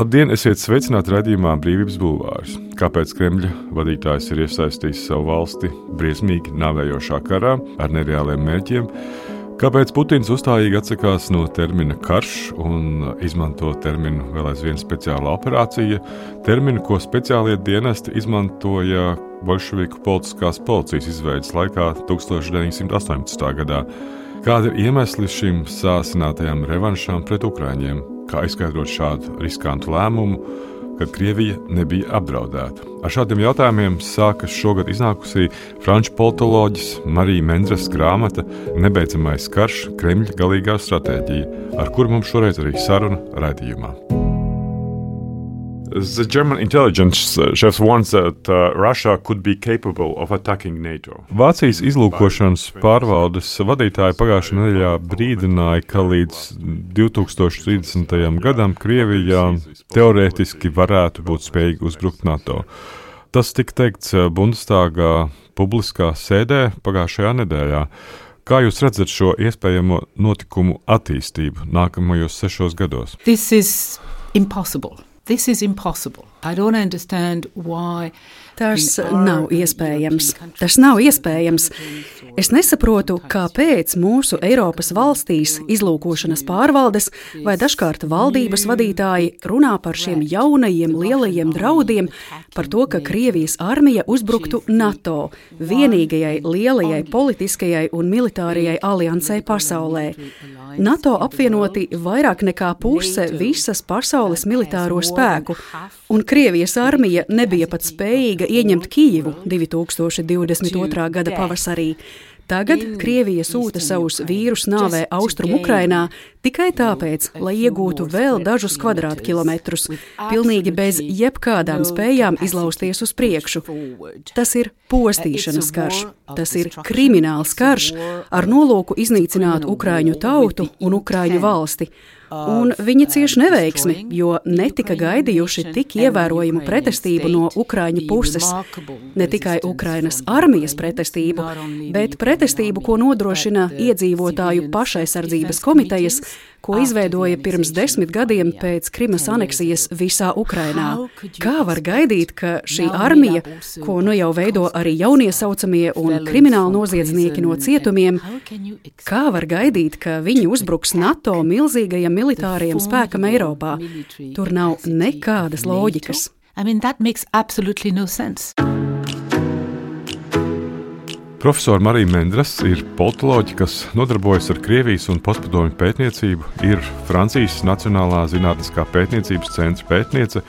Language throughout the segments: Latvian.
Labdien, esiet sveicināti raidījumā Brīvības bulvārs. Kāpēc Kremļa vadītājs ir iesaistījis savu valsti briesmīgi nāvējošā karā ar nereāliem mērķiem? Kāpēc Putins uzstājīgi atsakās no termina karš un izmanto terminu vēl aizvien speciāla operācija, terminu, ko speciālie dienesti izmantoja bolševiku politiskās policijas izveides laikā 1918. gadā? Kādi ir iemesli šim sāsinātajām revanšām pret ukraiņiem? Kā izskaidrot šādu riskantu lēmumu, kad Krievija nebija apdraudēta? Ar šādiem jautājumiem sākas šogad iznākusī franču politoloģis Marija Mendres grāmata Nebeidzamais karš – Kremļa galīgā stratēģija, ar kuru mums šoreiz arī saruna raidījumā. The German intelligence chefs warns that Russia could be capable of attacking NATO. Vācijas izlūkošanas pārvaldes vadītāji pagājušajā nedēļā brīdināja, ka līdz 2030. gadam Krievijā teorētiski varētu būt spējīgi uzbrukt NATO. Tas tika teikts Bundestāgā publiskā sēdē pagājušajā nedēļā. Kā jūs redzat šo iespējamo notikumu attīstību nākamajos 6 gados? This is impossible. I don't understand why. Tas nav iespējams. Es nesaprotu, kāpēc mūsu Eiropas valstīs izlūkošanas pārvaldes vai dažkārt valdības vadītāji runā par šiem jaunajiem lielajiem draudiem, par to, ka Krievijas armija uzbruktu NATO, vienīgajai lielajai politiskajai un militārajai aliansei pasaulē. NATO apvienoti vairāk nekā puse visas pasaules militāro spēku, un Krievijas armija nebija pat spējīga ieņemt Kijivu 2022. gada pavasarī. Tagad Krievija sūta savus vīrus nāvē Austrum Ukrainā tikai tāpēc, lai iegūtu vēl dažus kvadrātkilometrus, pilnīgi bez jebkādām spējām izlausties uz priekšu. Tas ir postīšanas karš, tas ir krimināls karš ar nolūku iznīcināt ukraiņu tautu un ukraiņu valsti. Un viņi cieši neveiksmi, jo netika gaidījuši tik ievērojumu pretestību no ukraiņu puses. Ne tikai Ukrainas armijas pretestību, bet pretestību, ko nodrošina iedzīvotāju pašaizsardzības komitejas, ko izveidoja pirms 10 gadiem pēc Krimas aneksijas visā Ukrainā. Kā var gaidīt, ka šī armija, ko nu jau veido arī jauniesaucamie un krimināli noziedznieki no cietumiem, kā var gaidīt, ka viņi uzbruks NATO milzīgajam militārajam spēkam Eiropā? Tur nav nekādas loģikas. That makes absolutely no sense. Profesora Marija Mendres ir politoloģe, kas nodarbojas ar Krievijas un postpadomju pētniecību, ir Francijas Nacionālā zinātniskā pētniecības centra pētniece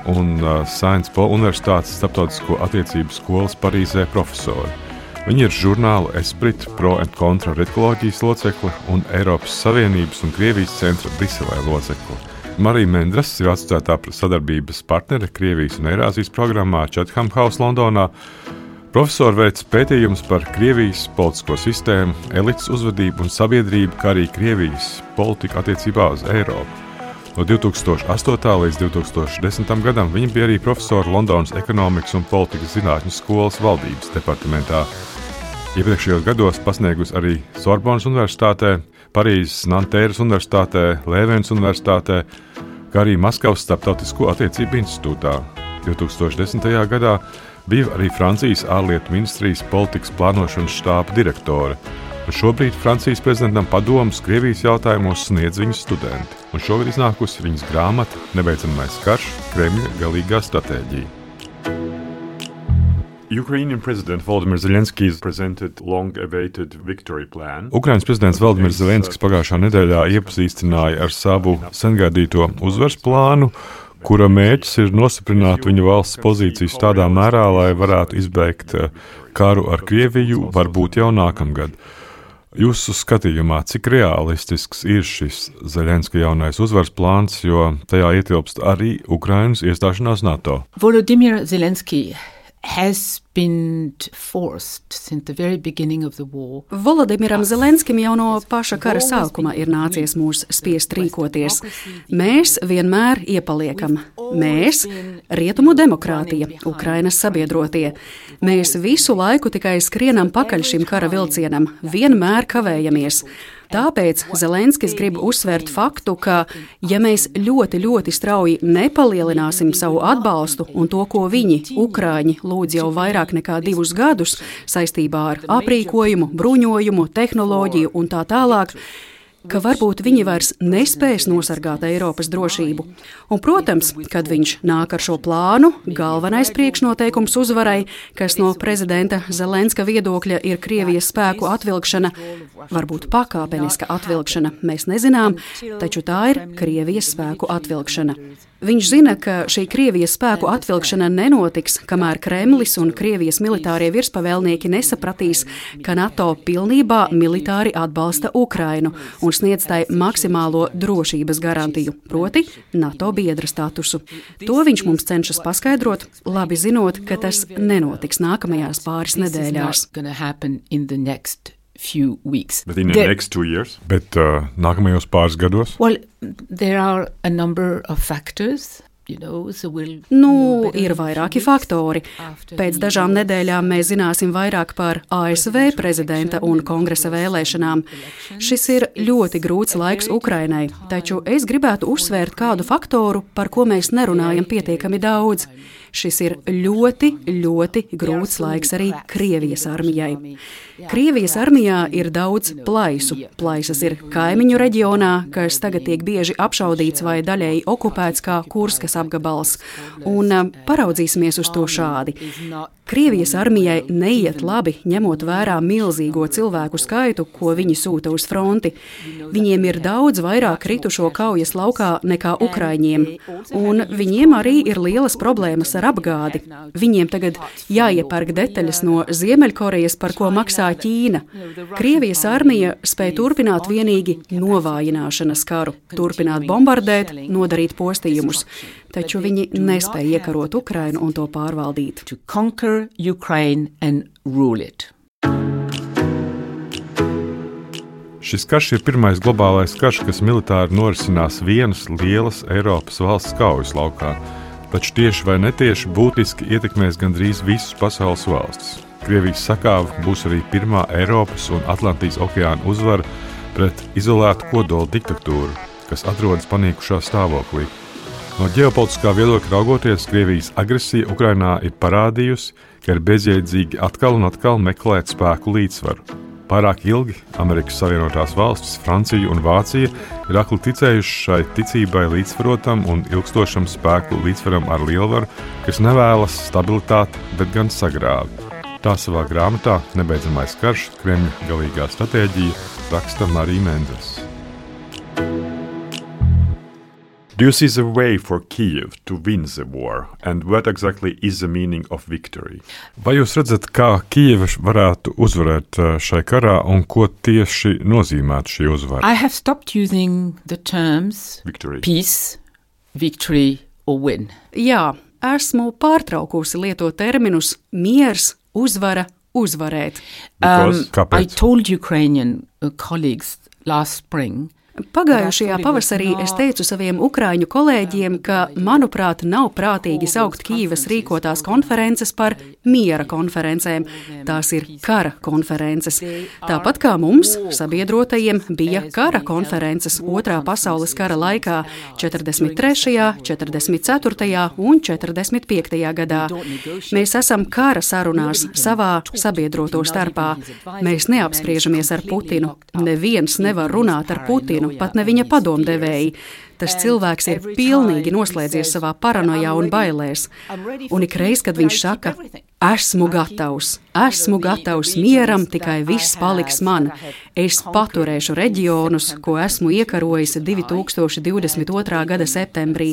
un Sciences Po Universitātes starptautisko attiecību skolas Parīzē profesori. Viņa ir žurnāla Esprit Pro and Contra redakcijas locekle un Eiropas Savienības un Krievijas centra Briselē locekle. Marija Mendres ir asociētā sadarbības partnere Krievijas un Eirāzijas programmā Chatham House Londonā. Profesori veic pētījumus par Krievijas politisko sistēmu, elites uzvedību un sabiedrību, kā arī Krievijas politiku attiecībā uz Eiropu. No 2008. līdz 2010. gadam viņa bija arī profesora Londonas ekonomikas un politikas zinātņu skolas valdības departamentā. Iepriekšējos gados pasniegusi arī Sorbonas universitātē, Parīzes Nantēras universitātē, Lēvens universitātē, kā arī Maskavas starptautisko attiecību institūtā. 2010. gadā bija arī Francijas ārlietu ministrijas politikas plānošanas štāba direktore. Un šobrīd Francijas prezidentam padomus Krievijas jautājumos sniedz viņas studenti. Un šogad iznākusi viņas grāmata Nebeidzamais karš – Kremļa galīgā stratēģija. Ukrainian President Volodymyr Zelenskij presented long-awaited victory plan. Ukrainas prezidents Volodymyrs Zelenskijs pagājušā nedēļā iepazīstināja ar savu sengaidīto uzvaras plānu, kura mērķis ir nostiprināt viņa valsts pozīcijas tādā mērā, lai varētu izbeigt karu ar Krieviju, varbūt jau nākamgad. Jūsu skatījumā, cik realistisks ir šis Zelenskija jaunais uzvaras plāns, jo tajā ietilpst arī Ukrainas iestāšanās NATO? Volodymyr Zelenskij has been forced since the very beginning of the war. Volodimiram Zelenskim jau no paša kara sākuma ir nācies mūs spiest rīkoties. Mēs vienmēr iepaliekam. Mēs, rietumu demokrātija, Ukrainas sabiedrotie. Mēs visu laiku tikai skrienam pakaļ šim kara vilcienam, vienmēr kavējamies. Tāpēc Zelenskis grib uzsvērt faktu, ka, ja mēs ļoti, ļoti strauji nepalielināsim savu atbalstu un to, ko viņi, Ukraiņi, lūdz jau vairāk nekā 2 gadus saistībā ar aprīkojumu, bruņojumu, tehnoloģiju un tā tālāk, ka varbūt viņi vairs nespēs nosargāt Eiropas drošību. Un, protams, kad viņš nāk ar šo plānu, galvenais priekšnoteikums uzvarai, kas no prezidenta Zelenska viedokļa ir Krievijas spēku atvilkšana, varbūt pakāpeniska atvilkšana, mēs nezinām, taču tā ir Krievijas spēku atvilkšana. Viņš zina, ka šī Krievijas spēku atvilkšana nenotiks, kamēr Kremlis un Krievijas militārie virspavēlnieki nesapratīs, ka NATO pilnībā militāri atbalsta Ukrainu un sniedz tai maksimālo drošības garantiju, proti NATO biedra statusu. To viņš mums cenšas paskaidrot, labi zinot, ka tas nenotiks nākamajās pāris nedēļās. Few weeks. But in the next 2 years? Bet nākamajos pāris gados? Well, there are a number of factors. Ir vairāki faktori. Pēc dažām nedēļām mēs zināsim vairāk par ASV prezidenta un kongresa vēlēšanām. Šis ir ļoti grūts laiks Ukrainai, taču es gribētu uzsvērt kādu faktoru, par ko mēs nerunājam pietiekami daudz. Šis ir ļoti, ļoti grūts laiks arī Krievijas armijai. Krievijas armijā ir daudz plaisu. Plaisas ir kaimiņu reģionā, kas tagad tiek bieži apšaudīts vai daļēji okupēts kā Kurskas apgabals. Un paraudzīsimies uz to šādi. Krievijas armijai neiet labi, ņemot vērā milzīgo cilvēku skaitu, ko viņi sūta uz fronti. Viņiem ir daudz vairāk kritušo kaujas laukā nekā Ukraiņiem, un viņiem arī ir lielas problēmas ar apgādi. Viņiem tagad jāiepērk detaļas no Ziemeļkorejas, par ko maksā Ķīna. Krievijas armija spēj turpināt vienīgi novājināšanas karu, turpināt bombardēt, nodarīt postījumus, taču viņi nespēja iekarot Ukrainu un to pārvaldīt. Ukraine and rule it. Šis karš ir pirmais globālais karš, kas militāri norisinās vienas lielas Eiropas valsts kaujas laukā, taču tieši vai netieši būtiski ietekmēs gandrīz visas pasaules valstis. Krievijas sakāve būs arī pirmā Eiropas un Atlantijas okeāna uzvara pret izolētu kodola diktatūru, kas atrodas panīkušā stāvoklī. No ģeopolitiskā viedokļa raugoties, Krievijas agresija Ukrainā ir parādījusi, ka ir bezjēdzīgi atkal un atkal meklēt spēku līdzsvaru. Pārāk ilgi Amerikas Savienotās valstis, Francija un Vācija ir akli ticējuši šai ticībai līdzsvarotam un ilgstošam spēku līdzsvaram ar lielvaru, kas nevēlas stabilitāti, bet gan sagrāvi. Tā savā grāmatā Nebeidzamais karš, Kremļa galīgā stratēģija raksta Marija Mendras. Do you see the way for Kyiv to win the war, and what exactly is the meaning of victory? Vai jūs redzat, kā Kijeva varētu uzvarēt šai karā un ko tieši nozīmētu šī uzvara? I have stopped using the terms victory. Peace, victory or win. Jā, esmu pārtraukusi lietot terminus miers, uzvara, uzvarēt. Kāpēc? I told Ukrainian colleagues last spring. Pagājušajā pavasarī es teicu saviem ukraiņu kolēģiem, ka, manuprāt, nav prātīgi saukt Kijevas rīkotās konferences par miera konferencēm. Tās ir kara konferences. Tāpat kā mums, sabiedrotajiem, bija kara konferences Otrā pasaules kara laikā 43., 44. un 45. gadā. Mēs esam kara sarunās savā sabiedroto starpā. Mēs neapspriežamies ar Putinu. Neviens nevar runāt ar Putinu. Pat ne viņa padomdevēji. Tas cilvēks ir pilnīgi noslēdzies savā paranojā un bailēs. Un ikreiz, kad viņš saka, esmu gatavs mieram, tikai viss paliks man. Es paturēšu reģionus, ko esmu iekarojis 2022. gada septembrī.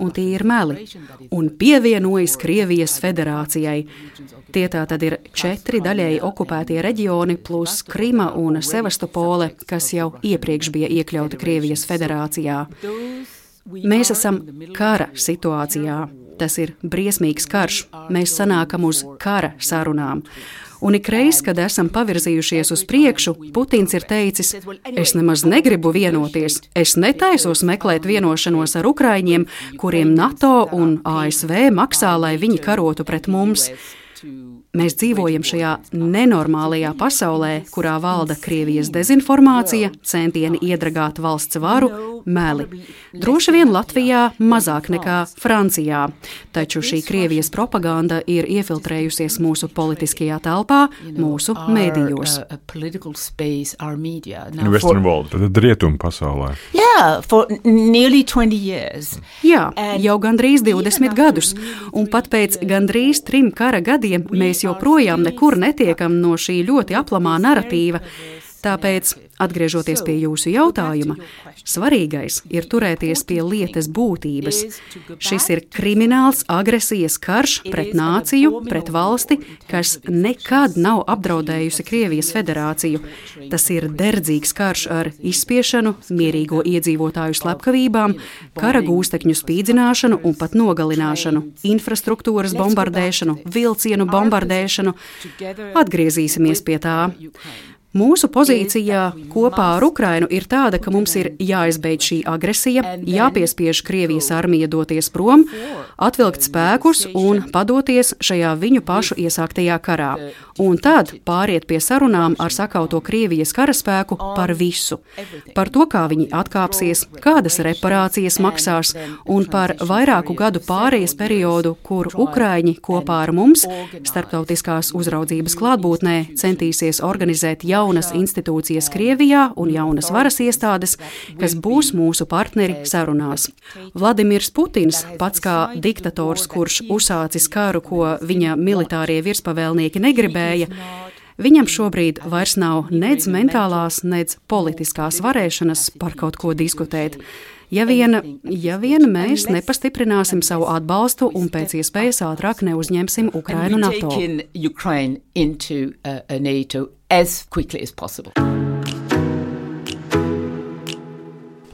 Un tie ir meli. Un pievienojas Krievijas federācijai. Tie tā tad ir 4 daļēji okupētie reģioni plus Krima un Sevastopole, kas jau iepriekš bija iekļauti Krievijas federācijā. Mēs esam kara situācijā. Tas ir briesmīgs karš. Mēs sanākam uz kara sarunām. Un ikreiz, kad esam pavirzījušies uz priekšu, Putins ir teicis, es nemaz negribu vienoties. Es netaisos meklēt vienošanos ar Ukraiņiem, kuriem NATO un ASV maksā, lai viņi karotu pret mums. Mēs dzīvojam šajā nenormālajā pasaulē, kurā valda Krievijas dezinformācija, centieni iedragāt valsts varu, meli. Droši vien Latvijā mazāk nekā Francijā, taču šī Krievijas propaganda ir iefiltrējusies mūsu politiskajā telpā, mūsu mēdījos. Western world, tad rietumu pasaulē. Yeah, for nearly 20 years. Jā, jau gandrīz 20 gadus, un pat pēc gandrīz 3 kara gadiem mēs joprojām nekur netiekam no šī ļoti aplamā naratīva. Tāpēc, atgriežoties pie jūsu jautājuma, svarīgais ir turēties pie lietas būtības. Šis ir krimināls agresijas karš pret nāciju, pret valsti, kas nekad nav apdraudējusi Krievijas federāciju. Tas ir derdzīgs karš ar izspiešanu, mierīgo iedzīvotāju slepkavībām, kara gūstekņu spīdzināšanu un pat nogalināšanu, infrastruktūras bombardēšanu, vilcienu bombardēšanu. Atgriezīsimies pie tā. Mūsu pozīcija kopā ar Ukrainu ir tāda, ka mums ir jāizbeidz šī agresija, jāpiespiež Krievijas armija doties prom, atvilkt spēkus un padoties šajā viņu pašu iesāktajā karā. Un tad pāriet pie sarunām ar sakauto Krievijas karaspēku par visu. Par to, kā viņi atkāpsies, kādas reparācijas maksās un par vairāku gadu pārejas periodu, kur Ukraiņi kopā ar mums starptautiskās uzraudzības klātbūtnē centīsies organizēt jaunas institūcijas Krievijā un jaunas varas iestādes, kas būs mūsu partneri sarunās. Vladimirs Putins, pats kā diktators, kurš uzsācis karu, ko viņa militārie virspavēlnieki negribēja, viņam šobrīd vairs nav nedz mentālās, nedz politiskās varēšanas par kaut ko diskutēt. Ja vien mēs nepastiprināsim savu atbalstu un pēc iespējas ātrāk neuzņemsim Ukrainu NATO.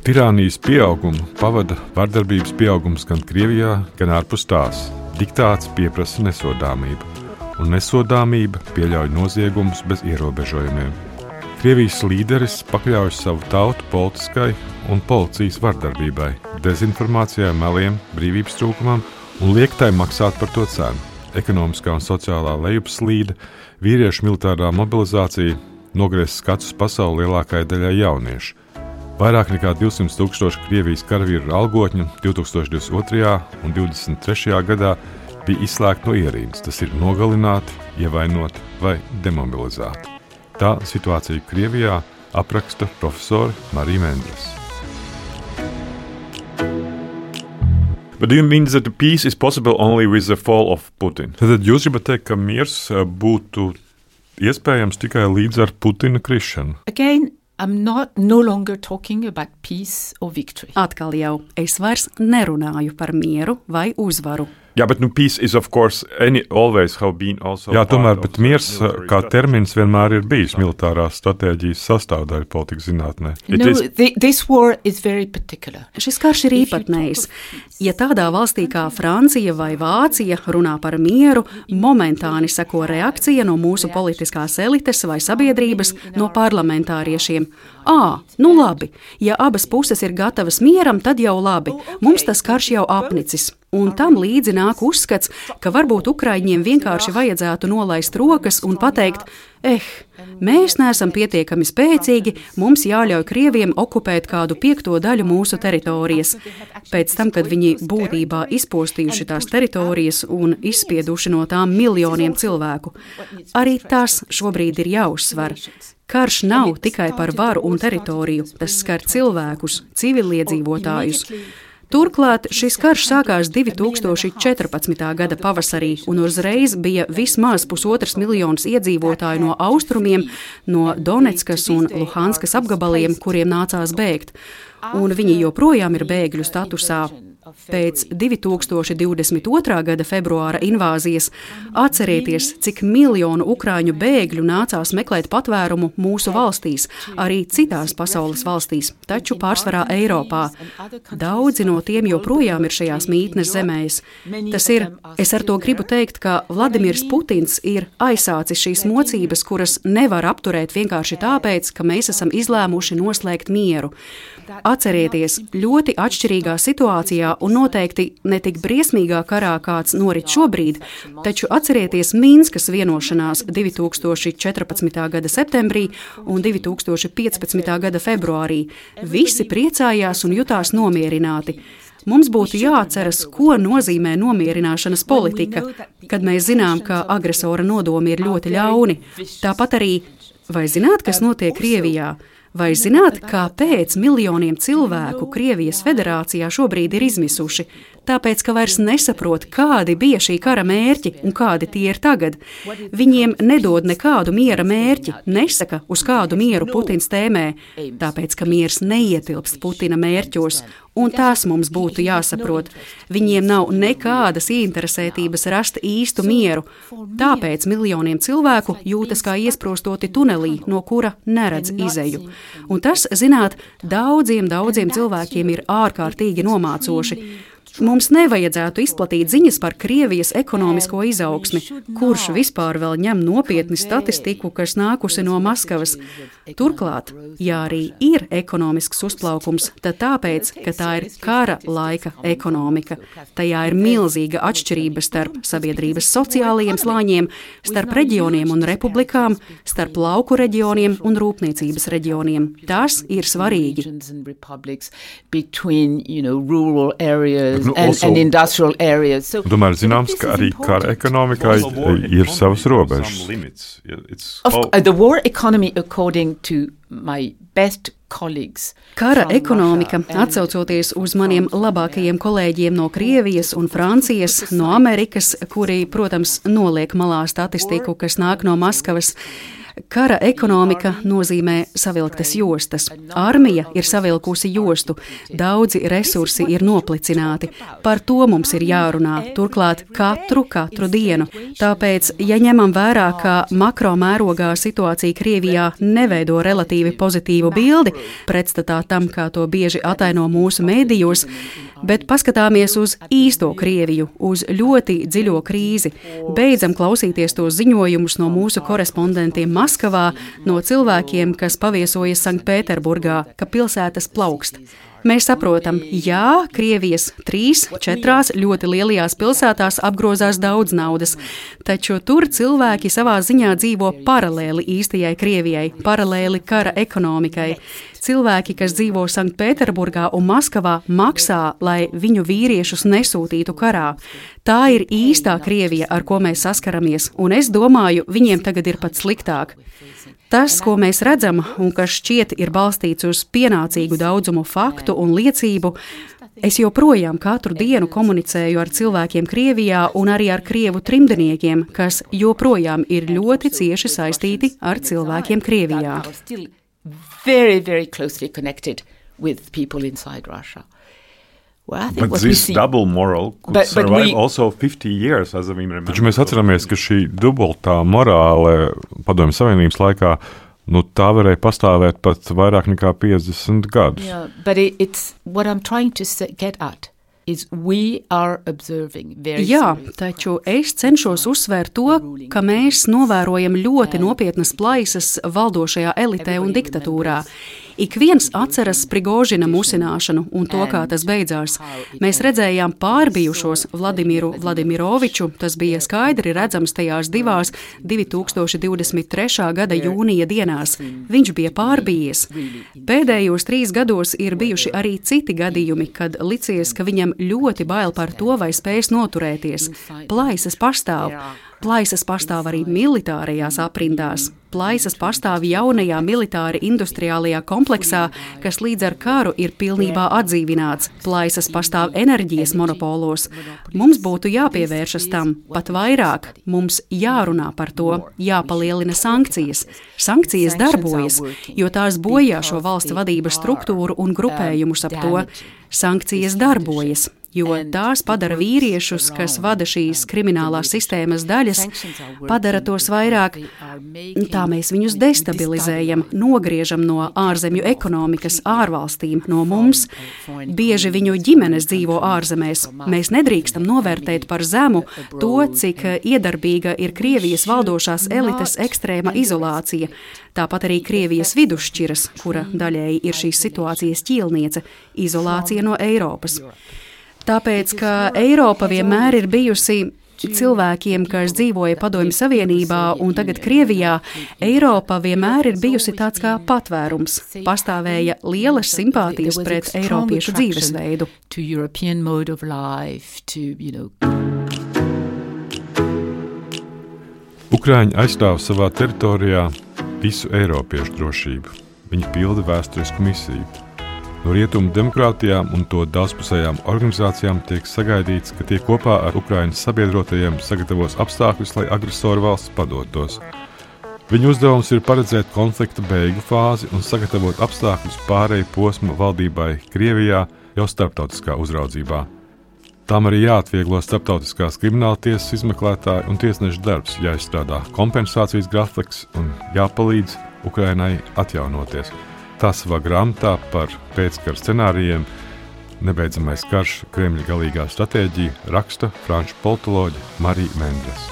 Tirānijas pieaugumu pavada vardarbības pieaugums gan Krievijā, gan ārpus tās. Diktāts pieprasa nesodāmību, un nesodāmība pieļauj noziegumus bez ierobežojumiem. Krievijas līderis pakļauj savu tautu politiskai un policijas vardarbībai, dezinformācijai, meliem, brīvības trūkumam un liek tai maksāt par to cenu. Ekonomiskā un sociālā lejupslīde, vīriešu militārā mobilizācija nogriez skatus pasauli lielākajai daļai jauniešu. Vairāk nekā 200,000 Krievijas karavīru algotņu 2022. un 2023. gadā bija izslēgti no ierīnas, tas ir nogalināti, ievainoti vai demobilizēti. Tā situācija Krievijā apraksta profesori Marija Mendras. But do you mean that the peace is possible only with the fall of Putin? Tad jūs gribat teikt, ka miers būtu iespējams tikai līdz ar Putina krišanu? Again, I'm no longer talking about peace or victory. Atkal jau, es vairs nerunāju par mieru vai uzvaru. Yeah, but no, peace is of course always have been also. Jā, tomēr, bet miers kā termins vienmēr ir bijis militārās stratēģijas sastāvdaļa politikas zinātnē. This war is very particular. Šis karš ir īpatnējs. Ja tādā valstī kā Francija vai Vācija runā par mieru, momentāni seko reakcija no mūsu politiskās elites vai sabiedrības, no parlamentāriešiem. Nu labi, ja abas puses ir gatavas mieram, tad jau labi, mums tas karš jau apnicis. Un tam līdzi nāk uzskats, ka varbūt Ukraiņiem vienkārši vajadzētu nolaist rokas un pateikt, mēs neesam pietiekami spēcīgi, mums jāļauj Krieviem okupēt kādu 5. daļu mūsu teritorijas. Pēc tam, kad viņi būtībā izpostījuši tās teritorijas un izspieduši no tām miljoniem cilvēku. Arī tas šobrīd ir jāuzsver. Karš nav tikai par varu un teritoriju, tas skar cilvēkus, civiliedzīvotājus. Turklāt šis karš sākās 2014. gada pavasarī, un uzreiz bija vismaz 1,5 miljonus iedzīvotāju no austrumiem, no Donetskas un Luhanskas apgabaliem, kuriem nācās bēgt. Un viņi joprojām ir bēgļu statusā. Pēc 2022. gada februāra invāzijas atcerieties, cik miljonu ukrāņu bēgļu nācās meklēt patvērumu mūsu valstīs, arī citās pasaules valstīs, taču pārsvarā Eiropā. Daudzi no tiem joprojām ir šajās mītnes zemēs. Es ar to gribu teikt, ka Vladimirs Putins ir aizsācis šīs mocības, kuras nevar apturēt vienkārši tāpēc, ka mēs esam izlēmuši noslēgt mieru. Atcerieties, ļoti atšķirīgā situācijā un noteikti ne tik briesmīgā karā, kāds norit šobrīd, taču atcerieties Minskas vienošanās 2014. gada septembrī un 2015. gada februārī. Visi priecājās un jutās nomierināti. Mums būtu jāatceras, ko nozīmē nomierināšanas politika, kad mēs zinām, ka agresora nodomi ir ļoti ļauni. Tāpat arī, vai zināt, kas notiek Krievijā? Vai zināt, kāpēc miljoniem cilvēku Krievijas federācijā šobrīd ir izmisuši? Tāpēc, ka vairs nesaprot, kādi bija šī kara mērķi un kādi tie ir tagad. Viņiem nedod nekādu miera mērķi, nesaka, uz kādu mieru Putins tēmē, tāpēc, ka miers neietilpst Putina mērķos, un tās mums būtu jāsaprot. Viņiem nav nekādas ieinteresētības rast īstu mieru, tāpēc miljoniem cilvēku jūtas kā iesprostoti tunelī, no kura neredz izeju. Un tas, zināt, daudziem cilvēkiem ir ārkārtīgi nomācoši. Mums nevajadzētu izplatīt ziņas par Krievijas ekonomisko izaugsmi, kurš vispār vēl ņem nopietni statistiku, kas nākusi no Maskavas. Turklāt, ja arī ir ekonomisks uzplaukums, tad tāpēc, ka tā ir kara laika ekonomika. Tajā ir milzīga atšķirība starp sabiedrības sociālajiem slāņiem, starp reģioniem un republikām, starp lauku reģioniem un rūpniecības reģioniem. Tas ir svarīgi. And industrial areas. Tomēr zināms, ka arī kara ekonomikai ir savas robežas. The war economy, according to my best colleagues. Kara ekonomika, atsaucoties uz maniem labākajiem kolēģiem no Krievijas un Francijas, no Amerikas, kuri, protams, noliek malā statistiku, kas nāk no Maskavas. Kara ekonomika nozīmē savilktas jostas. Armija ir savilkusi jostu, daudzi resursi ir noplicināti. Par to mums ir jārunā, turklāt katru dienu. Tāpēc, ja ņemam vērā, ka makro mērogā situācija Krievijā neveido relatīvi pozitīvu bildi, pretstatā tam, kā to bieži ataino mūsu mēdījos, bet paskatāmies uz īsto Krieviju, uz ļoti dziļo krīzi, beidzam klausīties tos ziņojumus no mūsu korespondentiem Maskavā, no cilvēkiem, kas paviesojas Sanktpēterburgā, ka pilsētas plaukst. Mēs saprotam, jā, Krievijas 3-4 ļoti lielajās pilsētās apgrozās daudz naudas, taču tur cilvēki savā ziņā dzīvo paralēli īstajai Krievijai, paralēli kara ekonomikai. Cilvēki, kas dzīvo Sanktpēterburgā un Maskavā, maksā, lai viņu vīriešus nesūtītu karā. Tā ir īstā Krievija, ar ko mēs saskaramies, un es domāju, viņiem tagad ir pat sliktāk. Tas, ko mēs redzam un kas šķiet ir balstīts uz pienācīgu daudzumu faktu un liecību, es joprojām katru dienu komunicēju ar cilvēkiem Krievijā un arī ar krievu trimdniekiem, kas joprojām ir ļoti cieši saistīti ar cilvēkiem Krievijā. Very, very closely connected with people inside Russia. Well, but this double moral could survive also 50 years, as we remember. Taču mēs atceramies, ka šī dubultā morāle Padomju Savienības laikā, tā varēja pastāvēt pat vairāk nekā 50 gadus. Yeah, but it's what I'm trying to get at. Jā, taču es cenšos uzsvērt to, ka mēs novērojam ļoti nopietnas plaisas valdošajā elitē un diktatūrā. Ik viens atceras Prigožina musināšanu un to, kā tas beidzās. Mēs redzējām pārbijušos Vladimiru Vladimiroviču, tas bija skaidri redzams tajās 2023. gada jūnija dienās. Viņš bija pārbijies. Pēdējos 3 gados ir bijuši arī citi gadījumi, kad licies, ka viņam ļoti bail par to, vai spēs noturēties. Plaisas pastāv. Plaisas pastāv arī militārajās aprindās. Plaisas pastāv jaunajā militāri industriālajā kompleksā, kas līdz ar karu ir pilnībā atdzīvināts. Plaisas pastāv enerģijas monopolos. Mums būtu jāpievēršas tam, pat vairāk. Mums jārunā par to, jāpalielina sankcijas. Sankcijas darbojas, jo tās bojā šo valsts vadības struktūru un grupējumus ap to. Sankcijas darbojas, jo tās padara vīriešus, kas vada šīs kriminālās sistēmas daļas, padara tos vairāk. Tā mēs viņus destabilizējam, nogriežam no ārzemju ekonomikas, ārvalstīm, no mums. Bieži viņu ģimenes dzīvo ārzemēs. Mēs nedrīkstam novērtēt par zemu to, cik iedarbīga ir Krievijas valdošās elites ekstrēma izolācija. Tāpat arī Krievijas vidusšķiras, kura daļēji ir šīs situācijas ķīlniece, izolācija no Eiropas. Tāpēc, ka Eiropa vienmēr ir bijusi cilvēkiem, kas dzīvoja Padomju Savienībā un tagad Krievijā, Eiropa vienmēr ir bijusi tāds kā patvērums. Pastāvēja lielas simpātijas pret eiropiešu dzīvesveidu. Ukraiņi aizstāv savā teritorijā visu eiropiešu drošību. Viņi pilda vēsturisku misiju. No rietumu demokrātijām un to daudzpusējām organizācijām tiek sagaidīts, ka tie kopā ar Ukrainas sabiedrotajiem sagatavos apstākļus, lai agresoru valsts padotos. Viņu uzdevums ir paredzēt konflikta beigu fāzi un sagatavot apstākļus pārēju posma valdībai Krievijā jau starptautiskā uzraudzībā. Tām arī jāatvieglo starptautiskās krimināltiesas izmeklētāju un tiesnešu darbs, jāizstrādā kompensācijas grafiks un jāpalīdz Ukrainai atjaunoties. Tā savā grāmatā par pēckara scenārijiem Nebeidzamais karš Kremļa galīgā stratēģija raksta franču politoloģe Marija Mendres.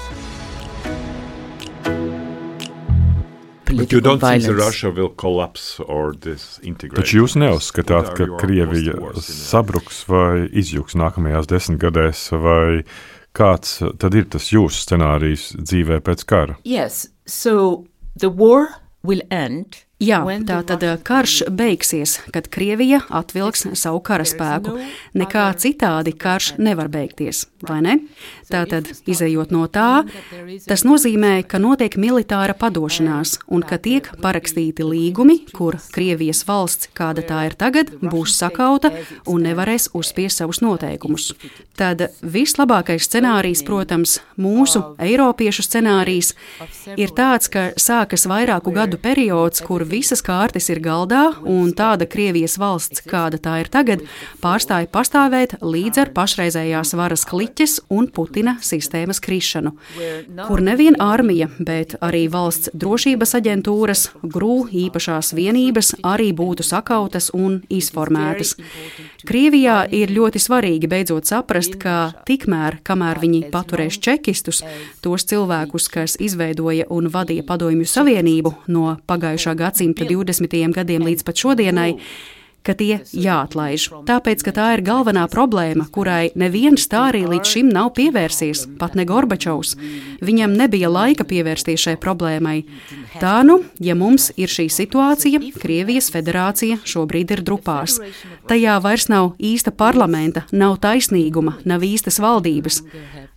Taču jūs neuzskatāt, ka Krievija sabruks vai izjuks nākamajās 10 gadēs, vai kāds tad ir tas jūsu scenārijs dzīvē pēc kara? Yes, so the war will end. Jā, tātad karš beigsies, kad Krievija atvilks savu karaspēku. Nekā citādi karš nevar beigties, vai ne? Tātad, izejot no tā, tas nozīmē, ka notiek militāra padošanās un ka tiek parakstīti līgumi, kur Krievijas valsts, kāda tā ir tagad, būs sakauta un nevarēs uzspiest savus noteikumus. Tad vislabākais scenārijs, protams, mūsu eiropiešu scenārijs, ir tāds, ka sākas vairāku gadu periods, kur visas kārtas ir galdā, un tāda Krievijas valsts, kāda tā ir tagad, pārstāja pastāvēt līdz ar pašreizējās varas kliķes un Putina sistēmas krišanu, kur nevien armija, bet arī valsts drošības aģentūras, GRU īpašās vienības arī būtu sakautas un izformētas. Krievijā ir ļoti svarīgi beidzot saprast, ka tikmēr, kamēr viņi paturēs čekistus, tos cilvēkus, kas izveidoja un vadīja Padomju Savienību no pagājušā gadsimta 20. gadiem līdz pat šodienai, ka tie jāatlaiž. Tāpēc, ka tā ir galvenā problēma, kurai neviens tā arī līdz šim nav pievērsies, pat ne Gorbačovs. Viņam nebija laika pievērsties šai problēmai. Tā nu, ja mums ir šī situācija, Krievijas federācija šobrīd ir drupās. Tajā vairs nav īsta parlamenta, nav taisnīguma, nav īstas valdības.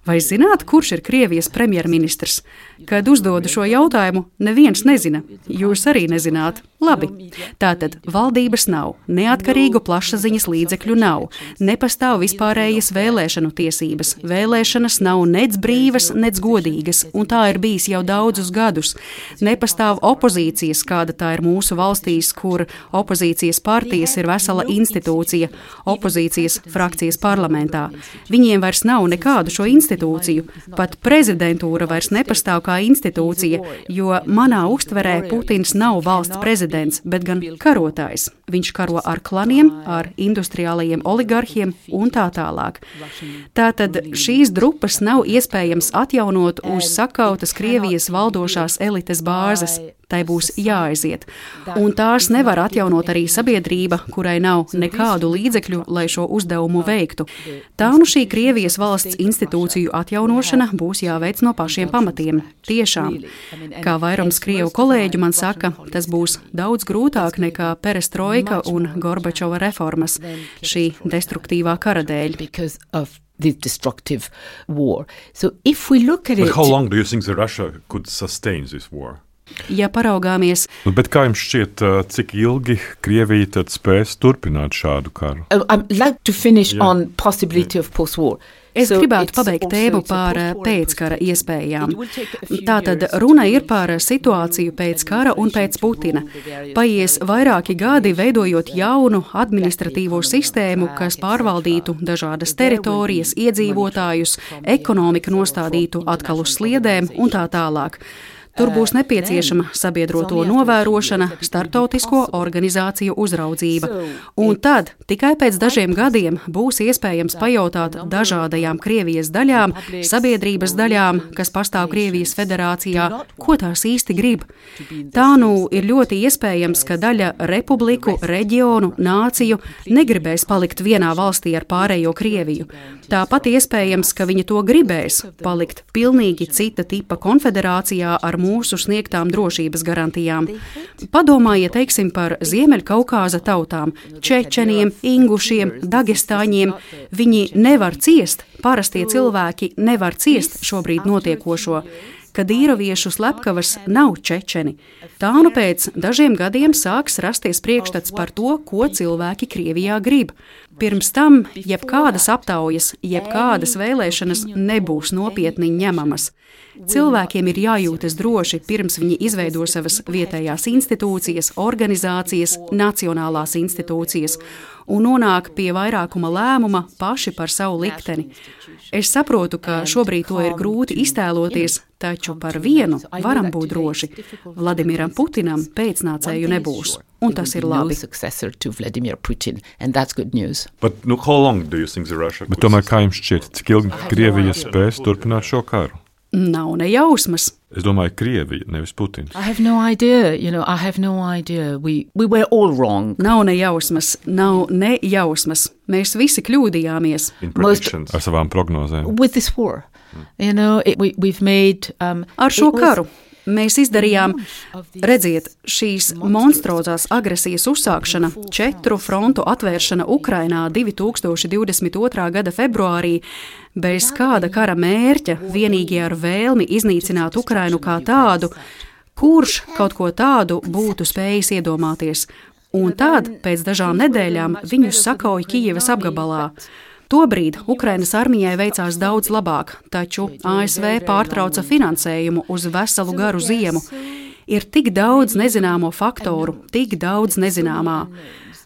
Vai zināt, kurš ir Krievijas premjerministrs? Kad uzdodu šo jautājumu, neviens nezina. Jūs arī nezināt. Labi. Tātad valdības nav, neatkarīgu plašsaziņas līdzekļu nav, nepastāv vispārējas vēlēšanu tiesības. Vēlēšanas nav nec brīvas, nec godīgas, un tā ir bijis jau daudzus gadus. Nepastāv opozīcijas, kāda tā ir mūsu valstīs, kur opozīcijas partijas ir vesela institūcija, opozīcijas frakcijas parlamentā. Viņiem vairs nav nekādu šo institūciju. Pat prezidentūra vairs nepastāv kā institūcija, jo manā uztverē Putins nav valsts prezidents, bet gan karotājs. Viņš karo ar klaniem, ar industriālajiem oligarhiem un tā tālāk. Tātad šīs drupas nav iespējams atjaunot uz sakautas Krievijas valdošās elites bāzes. Tai būs jāaiziet. Un tās nevar atjaunot arī sabiedrība, kurai nav nekādu līdzekļu, lai šo uzdevumu veiktu. Tā nu šī Krievijas valsts institūciju atjaunošana būs jāveic no pašiem pamatiem. Tiešām. Kā vairums krievu kolēģu man saka, tas būs daudz grūtāk nekā perestroika un Gorbačova reformas šī destruktīvā kara dēļ. This destructive war. So if we look at it... But how long do you think that Russia could sustain this war? Ja paraugāmies... Bet kā jums šķiet, cik ilgi Krievija tad spēs turpināt šādu karu? I'd like to finish on possibility of post-war. Es gribētu pabeigt tēmu par pēckara iespējām. Tātad runa ir par situāciju pēc kara un pēc Putina. Paies vairāki gadi veidojot jaunu administratīvo sistēmu, kas pārvaldītu dažādas teritorijas, iedzīvotājus, ekonomiku nostādītu atkal uz sliedēm un tā tālāk. Tur būs nepieciešama sabiedroto novērošana, starptautisko organizāciju uzraudzība. Un tad, tikai pēc dažiem gadiem, būs iespējams pajautāt dažādajām Krievijas daļām, sabiedrības daļām, kas pastāv Krievijas federācijā, ko tās īsti grib. Tā nu ir ļoti iespējams, ka daļa republiku, reģionu, nāciju negribēs palikt vienā valstī ar pārējo Krieviju. Tāpat iespējams, ka viņi to gribēs palikt pilnīgi cita tipa konfederācijā ar mūsu sniegtām drošības garantijām. Padomājiet, teiksim, par Ziemeļkaukāza tautām, čečeniem, ingušiem, dagestāņiem. Viņi nevar ciest, parastie cilvēki nevar ciest šobrīd notiekošo. Kadīroviešu slepkavas nav čečeni. Tā nu pēc dažiem gadiem sāks rasties priekšstats par to, ko cilvēki Krievijā grib. Pirms tam jebkādas aptaujas, jebkādas vēlēšanas nebūs nopietni ņemamas. Cilvēkiem ir jājūtas droši, pirms viņi izveido savas vietējās institūcijas, organizācijas, nacionālās institūcijas un nonāk pie vairākuma lēmuma paši par savu likteni. Es saprotu, ka šobrīd to ir grūti iztēloties, taču par vienu varam būt droši. Vladimiram Putinam pēcnācēju nebūs, un tas ir labi. Bet tomēr, kā jums šķiet, cik ilgi Krievija spēs turpināt šo karu? Nav ne jausmas. Es domāju, Krievija, nevis Putins. I have no idea. We were all wrong. Nav ne jausmas, nav ne jausmas. Mēs visi kļūdījāmies. Ar savām prognozēm. With this war. We've made... Ar šo karu. Mēs izdarījām, redziet, šīs monstrozās agresijas uzsākšana, 4 frontu atvēršana Ukrainā 2022. gada februārī, bez kāda kara mērķa, vienīgi ar vēlmi iznīcināt Ukrainu kā tādu, kurš kaut ko tādu būtu spējis iedomāties. Un tad, pēc dažām nedēļām, viņus sakauja Kijevas apgabalā. Tobrīd Ukrainas armijai veicās daudz labāk, taču ASV pārtrauca finansējumu uz veselu garu ziemu. Ir tik daudz nezināmo faktoru, tik daudz nezināmā.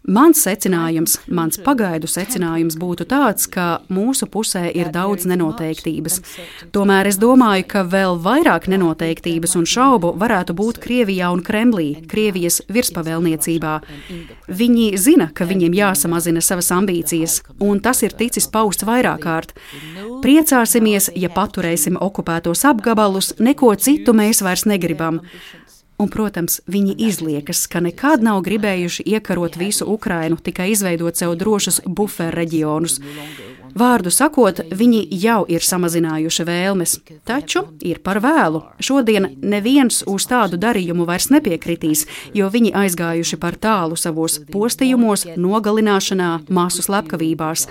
Mans secinājums, mans pagaidu secinājums būtu tāds, ka mūsu pusē ir daudz nenoteiktības. Tomēr es domāju, ka vēl vairāk nenoteiktības un šaubu varētu būt Krievijā un Kremlī, Krievijas virspavēlniecībā. Viņi zina, ka viņiem jāsamazina savas ambīcijas, un tas ir ticis pausts vairāk kārt. Priecāsimies, ja paturēsim okupētos apgabalus, neko citu mēs vairs negribam. Un, protams, viņi izliekas, ka nekad nav gribējuši iekarot visu Ukrainu, tikai izveidot sev drošus buferu reģionus. Vārdu sakot, viņi jau ir samazinājuši vēlmes, taču ir par vēlu. Šodien neviens uz tādu darījumu vairs nepiekritīs, jo viņi aizgājuši par tālu savos postījumos, nogalināšanā, masu slepkavībās.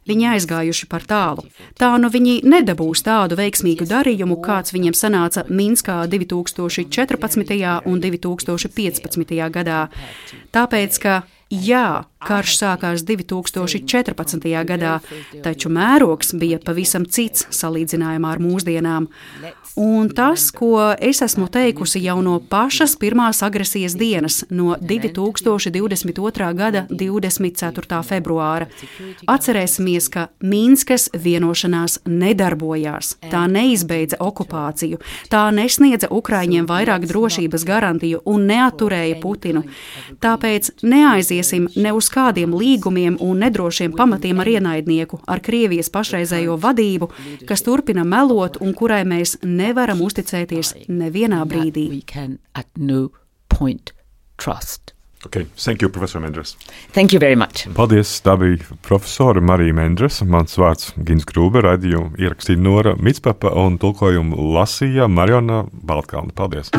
Viņi aizgājuši par tālu. Tā nu viņi nedabūs tādu veiksmīgu darījumu, kāds viņiem sanāca Minskā 2014. un 2015. gadā. Tāpēc, ka jā, karš sākās 2014. gadā, taču mērogs bija pavisam cits salīdzinājumā ar mūsdienām. Un tas, ko es esmu teikusi jau no pašas pirmās agresijas dienas, no 2022. gada 24. februāra. Atcerēsimies, ka Minskas vienošanās nedarbojās. Tā neizbeidza okupāciju, tā nesniedza Ukraiņiem vairāk drošības garantiju un neatturēja Putinu. Tāpēc neaiziesim ne uz kādiem līgumiem un nedrošiem pamatiem ar ienaidnieku, ar Krievijas pašreizējo vadību, kas turpina melot un kurai mēs nevaram uzticēties nevienā brīdī. Okay. Thank you, Professor Mendras. Thank you very much. Paldies, tā bija profesora Marija Mendras. Mans vārds Gins Grūbe, raidījumu ierakstīja Nora Mitspapa un tulkojumu lasīja Mariona Baltkalna. Paldies!